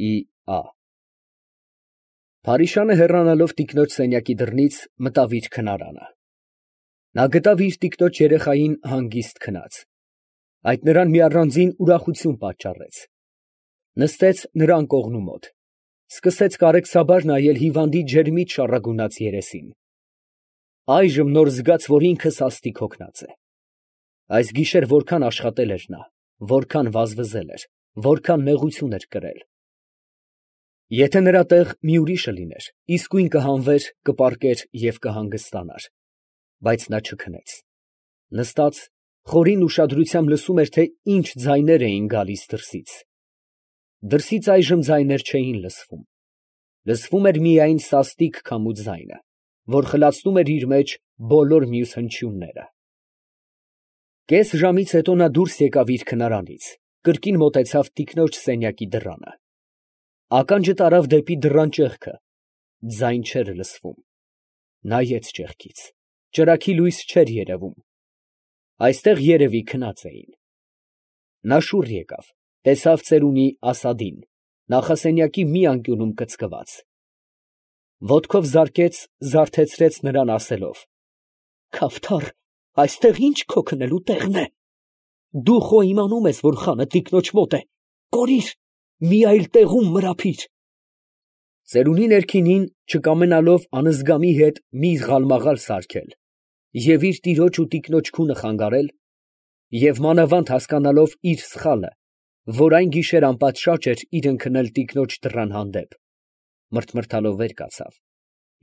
Ի.Ա. Փարիշանը հեռանալով տիկնոջ սենյակի դռնից մտավ իր քնարանը։ Նա գտավ իր տիկնոջ երեխային հանգիստ քնած, այդ նրան մի առանձին ուրախություն պատճառեց։ Նստեց նրա անկողնու մոտ, սկսեց կարեկցաբար նայել հիվանդի ջերմիտ շառագունած երեսին։ Այժմ նոր զգաց, որ ինքը սաստիկ հոգնած է։ Այս գիշեր որքան աշխատել էր նա, որքան վազվզել էր, որքան նեղություն էր կրել։ Եթե նրա տեղ մի ուրիշը լիներ, իսկույն կհանվեր, կպառկեր և կհանգստանար, բայց նա չքնեց։ Նստած, խորին ուշադրությամբ լսում էր, թե ինչ ձայներ էին գալիս դրսից։ Դրսից այժմ ձայներ չէին լսվում։ Լսվում էր միայն սաստիկ քամու ձայնը, որ խլացնում էր իր մեջ բոլոր մյուս հնչյունները։ Կես ժամից հետո նա դուրս եկավ իր քնարանից, կրկին մոտեցավ տիկնոջ սենյակի դռանը։ Ականջը տարավ դեպի դռան ճեղքը, ձայն չէր լսվում։ Նայեց ճեղքից, ճրագի լույս չէր երևում։ Այստեղ երևի քնած էին։ Նա շուռ եկավ, տեսավ ծերունի Ասադին, նախասենյակի մի անկյունում կծկված։ Ոտքով զարկեց, զարթեցրեց նրան ասելով. «Քավթառ, այստեղ ի՞նչ քո քնելու տեղն է։ Դու խո իմանում ես, որ խանը տիկնոջ մոտ է, կորիր, մի այլ տեղում մրափիր»։ Ծերունի ներքինին, չկամենալով անզգամի հետ մի ղալմաղալ սարքել և իր տիրոջ ու տիկնոջ քունը խանգարել, և մանավանդ հասկանալով իր սխալը, որ այն գիշեր անպատշաճ էր իր ընկնել տիկնոջ դռան հանդեպ, մրթմրթալով վեր կացավ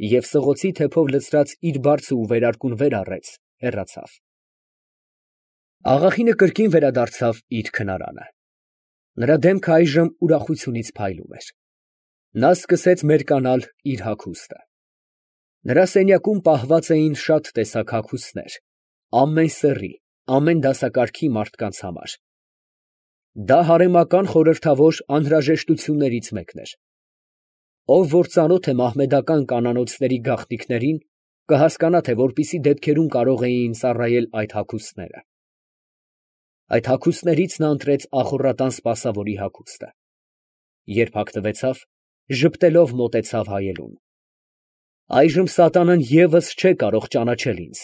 և սղոցի թեփով լցրած իր բարձը ու վերարկուն վեր առեց, հեռացավ։ Աղախինը կրկին վերադարձավ իր քնարանը։ Նրա դեմքը այժմ ուրախությունից փայլում էր։ Նա սկսեց մերկանալ իր հագուստը։ Նրա սենյակում պահված էին շատ տեսակ հագուստներ, ամեն սեռի, ամեն դասակարգի մարդկանց համար։ Դա հարեմական խորհրդավոր անհրաժեշտություններից մեկն էր։ Ով որ ծանոթ է մահմեդական կանանոցների գաղտնիքներին, կհասկանա, թե որպիսի դեպքերում կարող էին ծառայել այդ հագուստները։ Այդ հագուստներից նա ընտրեց ախոռատան սպասավորի հագուստը։ Երբ հագնվեցավ, ժպտելով մոտեցավ հայելուն։ Այժմ սատանան ևս չէ կարող ճանաչել ինձ,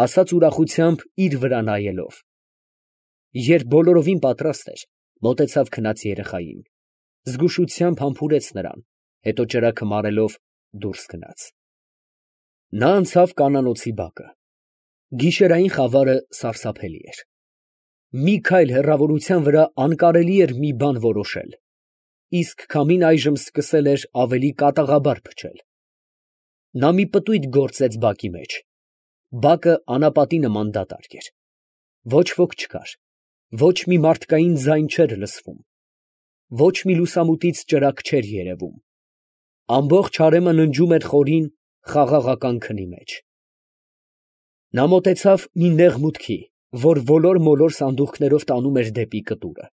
ասաց ուրախությամբ իր վրա նայելով։ Երբ բոլորովին պատրաստ էր, մոտեցավ քնած երեխային, զգուշությամբ համբուրեց նրան, հետո ճրագը մարելով դուրս գնաց։ Նա անցավ կանանոցի բակը։ Գիշերային խավարը սարսափելի էր։ Մի քայլ հեռավորության վրա անկարելի էր մի բան որոշել, իսկ քամին այժմ սկսել էր ավելի կատաղաբար փչել։ Նա մի պտույտ գործեց բակի մեջ։ Բակը անապատի նման դատարկ էր։ Ոչ ոք չկար, ոչ մի մարդկային ձայն չէր լսվում, ոչ մի լուսամուտից ճրագ չէր երևում։ Ամբողջ հարեմը ննջում էր խորին, խաղաղական քնի մեջ։ Նա մոտեցավ մի նեղ մուտքի, որ ոլոր֊մոլոր սանդուղքներով տանում էր դեպի կտուրը։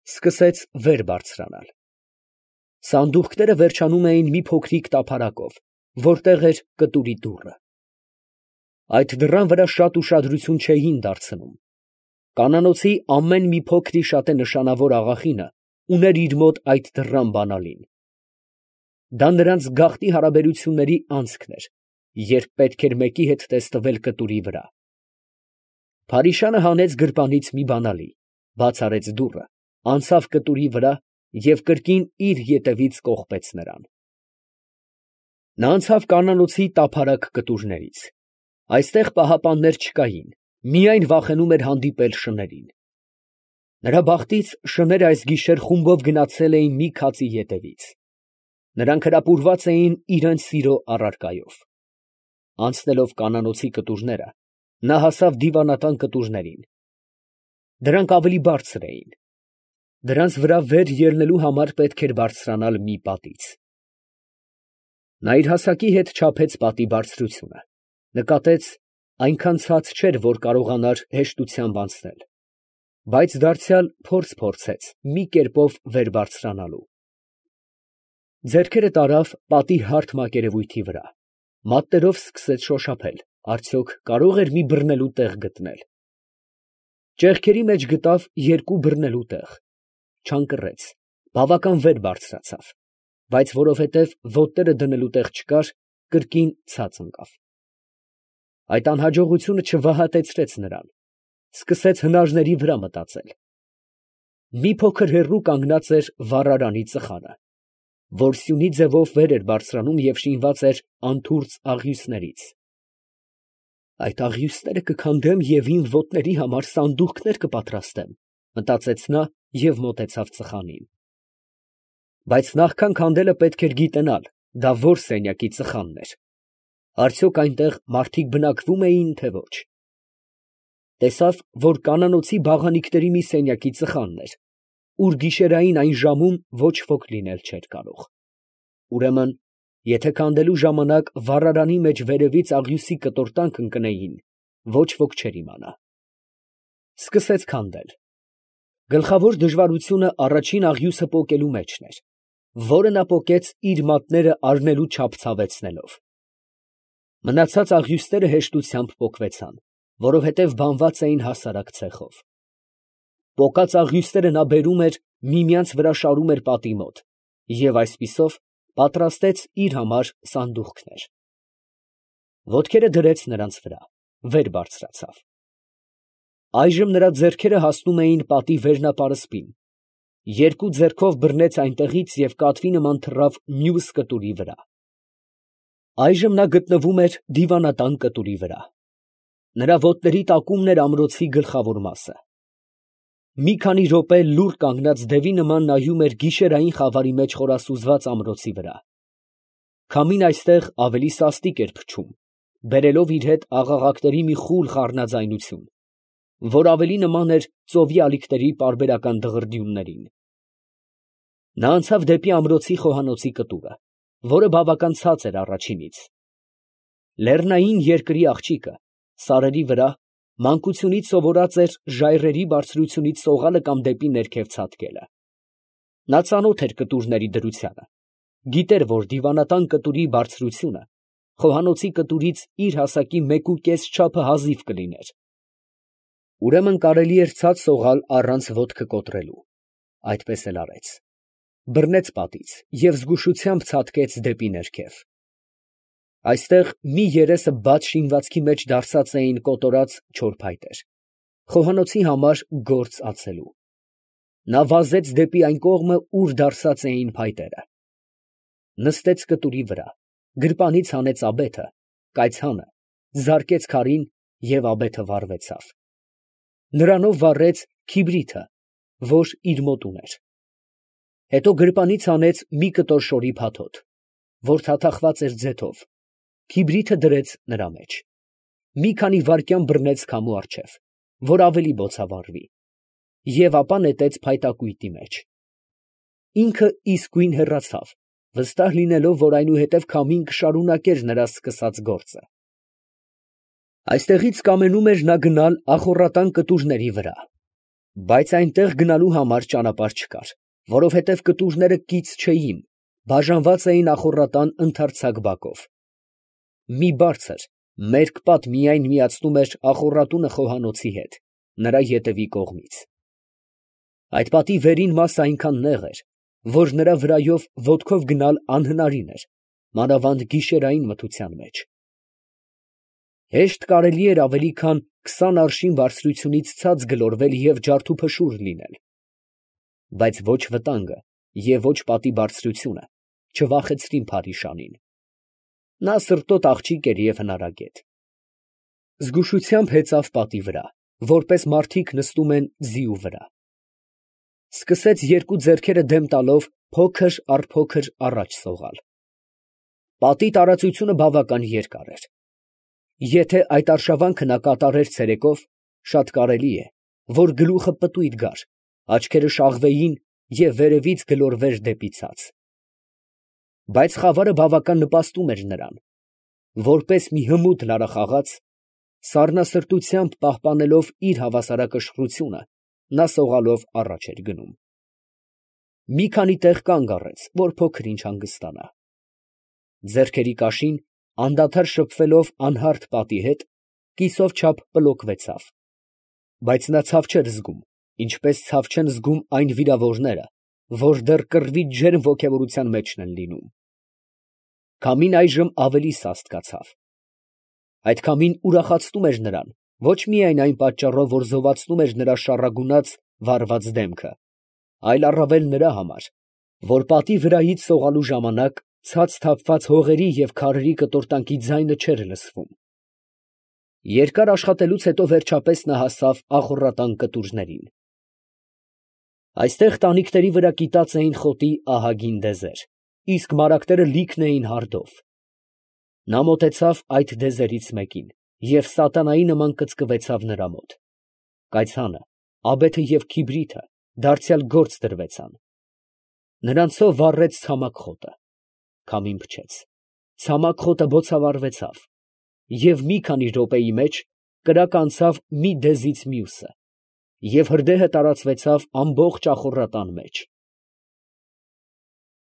Սկսեց վեր բարձրանալ։ Սանդուղքները վերջանում էին մի փոքրիկ տափարակով, որտեղ էր կտուրի դուռը։ Այդ դռան վրա շատ ուշադրություն չէին դարձնում։ Կանանոցի ամեն մի փոքրիշատե նշանավոր աղախինը ուներ իր մոտ այդ դռան բանալին։ Դա նրանց գաղտնի հարաբերությունների անցքն էր, երբ պետք էր մեկի հետ տեսնվել կտուրի վրա։ Փարիշանը հանեց գրպանից մի բանալի, բաց արեց դուռը, անցավ կտուրի վրա և կրկին իր ետևից կողպեց նրան։ Նա անցավ կանանոցի տափարակ կտուրներից։ Այստեղ պահապաններ չկային, միայն վախենում էր հանդիպել շներին։ Նրա բախտից շները այս գիշեր խումբով գնացել էին մի քացի ետևից։ Նրանք հրապուրված էին իրենց սիրո առարկայով։ Անցնելով կանանոցի կտուրները, նա հասավ դիվանատան կտուրներին։ Դրանք ավելի բարձր էին։ Դրանց վրա վեր ելնելու համար պետք էր բարձրանալ մի պատից։ Նա իր հասակի հետ չափեց պատի բարձրությունը, նկատեց, այնքան ցած չէր, որ կարողանար հեշտությամբ անցնել, բայց դարձյալ փորձ փորձեց մի կերպով վեր բարձրանալու։ Ձեռքերը տարավ պատի հարթ մակերևույթի վրա, մատներով սկսեց շոշափել, արդյոք կարող էր մի բռնելու տեղ գտնել։ Ճեղքերի մեջ գտավ երկու բռնելու տեղ, չանկռեց, Բավական վեր բարձրացավ, բայց որովհետև ոտները դնելու տեղ չկար, կրկին ցած ընկավ։ Այդ անհաջողությունը չվհատեցրեց նրան, սկսեց հնարժների վրա մտածել։ Մի փոքր հեռու կանգնած էր վառարանի ծխանը, որ սյունի ձևով վեր էր բարձրանում և շինված էր անթուրծ աղյուսներից։ Այդ աղյուսները կքանդեմ և իմ ոտների համար սանդուղքներ կպատրաստեմ, մտածեց նա և մոտեցավ ծխանին։ Բայց նախքան քանդելը պետք էր գիտենալ, դա որ սենյակի ծխանն էր, արդյոք այնտեղ մարդիկ բնակվում էին, թե ոչ։ Տեսավ, որ կանանոցի բաղանիքների մի սենյակի ծխանն էր, ուր գիշերային այն ժամում ոչ ոք լինել չէր կարող։ Ուրեմն, եթե քանդելու ժամանակ վառարանի մեջ վերևից աղյուսի կտորտանք ընկնեին, ոչ ոք չէր իմանա։ Սկսեց քանդել։ Գլխավոր դժվարությունը առաջին աղյուսը պոկելու մեջն էր, որը նա պոկեց իր մատները առնելու չափ ցավեցնելով։ Մնացած աղյուսները հեշտությամբ պոկվեցան, որովհետև բանված էին հասարակ ցեխով։ Պոկած աղյուսները նա բերում էր միմյանց վրա շարում էր պատի մոտ և այսպիսով պատրաստեց իր համար սանդուղքներ։ Ոտքերը դրեց նրանց վրա, վեր բարձրացավ։ Այժմ նրա ձեռքերը հասնում էին պատի վերնապարսպին, երկու ձեռքով բռնեց այնտեղից և կատվի նման թռավ մյուս կտուրի վրա։ Այժմ նա գտնվում էր դիվանատան կտուրի վրա։ Նրա ոտների տակումն էր ամրոցի գլխավոր մասը։ Մի քանի րոպե լուռ կանգնած դևի նման նայում էր գիշերային խավարի մեջ խորասուզված ամրոցի վրա։ Քամին այստեղ ավելի սաստիկ էր փչում, բերելով իր հետ աղաղակների մի խուլ խառնաձայնություն, որ ավելի նման էր ծովի ալիքների պարբերական դղրդյուններին։ Նա անցավ դեպի ամրոցի խոհանոցի կտուրը, որը բավական ցած էր առաջինից։ Լեռնային երկրի աղջիկը սարերի վրա մանկությունից սովորած էր ժայռերի բարձրությունից սողալը կամ դեպի ներքև ցատկելը։ Նա ծանոթ էր կտուրների դրությանը, գիտեր, որ դիվանատան կտուրի բարձրությունը խոհանոցի կտուրից իր հասակի 1.5 չափը հազիվ կլիներ։ Ուրեմն կարելի էր ցած սողալ առանց ոտքը կոտրելու։ Այդպես էլ արեց։ Բռնեց պատից և զգուշությամբ ցատկեց դեպի ներքև։ Այստեղ մի երեսը բաց շինվածքի մեջ դարսած էին կոտորած չոր փայտեր, խոհանոցի համար գործ ածելու։ Նա վազեց դեպի այն կողմը, ուր դարսած էին փայտերը։ Նստեց կտուրի վրա, գրպանից հանեց աբեթը, կայծհանը, զարկեց քարին և աբեթը վառվեցավ։ Նրանով վառեց քիբրիթը, որ իր մոտ ուներ։ Հետո գրպանից հանեց մի կտոր շորի փաթոթ, որ թաթախված էր ձեթով, քիբրիթը դրեց նրա մեջ։ Մի քանի վայրկյան բռնեց քամու առջև, որ ավելի բոցավառվի, և ապա նետեց փայտակույտի մեջ։ Ինքը իսկույն հեռացավ, վստահ լինելով, որ այնուհետև քամին կշարունակեր նրա սկսած գործը։ Այստեղից կամենում էր նա գնալ ախոռատան կտուրների վրա, բայց այնտեղ գնալու համար ճանապարհ չկար, որովհետև կտուրները կից չէին, բաժանված էին ախոռատան ընդարձակ բակով։ Մի բարձր, մերկ պատ միայն միացնում էր ախոռատունը խոհանոցի հետ, նրա ետևի կողմից։ Այդ պատի վերին մասը այնքան նեղ էր, որ նրա վրայով ոտքով գնալ անհնարին էր, մանավանդ գիշերային մթության մեջ։ Հեշտ կարելի էր ավելի քան 20 արշին բարձրությունից ցած գլորվել և ջարդուփշուր լինել։ Բայց ոչ վտանգը և ոչ պատի բարձրությունը չվախեցրին Փարիշանին։ Նա սրտոտ աղջիկ էր և հնարագետ։ Զգուշությամբ հեծավ պատի վրա, որպես մարդիկ նստում են ձիու վրա։ Սկսեց երկու ձեռքերը դեմ տալով փոքր առ փոքր առաջ սողալ։ Պատի տարածությունը բավական երկար էր։ Եթե այդ արշավանքը նա կատարեր ցերեկով, շատ կարելի է, որ գլուխը պտույտ գար, աչքերը շաղվեին և վերևից գլորվեր դեպի ցած։ Բայց խավարը բավական նպաստում էր նրան, որպես մի հմուտ լարախաղաց, սառնասրտությամբ պահպանելով իր հավասարակշռությունը, նա սողալով առաջ էր գնում։ Մի քանի տեղ կանգ առեց, որ փոքր-ինչ հանգստանա։ Ձեռքերի կաշին, անդադար շփվելով անհարթ պատի հետ, կիսով չափ պլոկվեցավ, բայց նա ցավ չէր զգում, ինչպես ցավ չեն զգում այն վիրավորները, որ դեռ կռվի ջերմ ոգևորության մեջն են լինում։ Քամին այժմ ավելի սաստկացավ։ Այդ քամին ուրախացնում էր նրան ոչ միայն այն պատճառով, որ զովացնում էր նրա շառագունած, վառված դեմքը, այլ առավել նրա համար, որ պատի վրայից սողալու ժամանակ ցած թափված հողերի և քարերի կտորտանքի ձայնը չէր լսվում։ Երկար աշխատելուց հետո վերջապես նա հասավ ախոռատան կտուրներին։ Այստեղ տանիքների վրա կիտած էին խոտի ահագին դեզեր, իսկ մարագները լիքն էին հարդով։ Նա մոտեցավ այդ դեզերից մեկին և սատանայի նման կծկվեցավ նրա մոտ։ Կայծանը, աբեթը և քիբրիթը դարձյալ գործ դրվեցան։ Նրանցով վառեց ցամաք խոտը։ Քամին փչեց, ցամաք խոտը բոցավառվեցավ և մի քանի րոպեի մեջ կրակը անցավ մի դեզից մյուսը, և հրդեհը տարածվեցավ ամբողջ ախոռատան մեջ։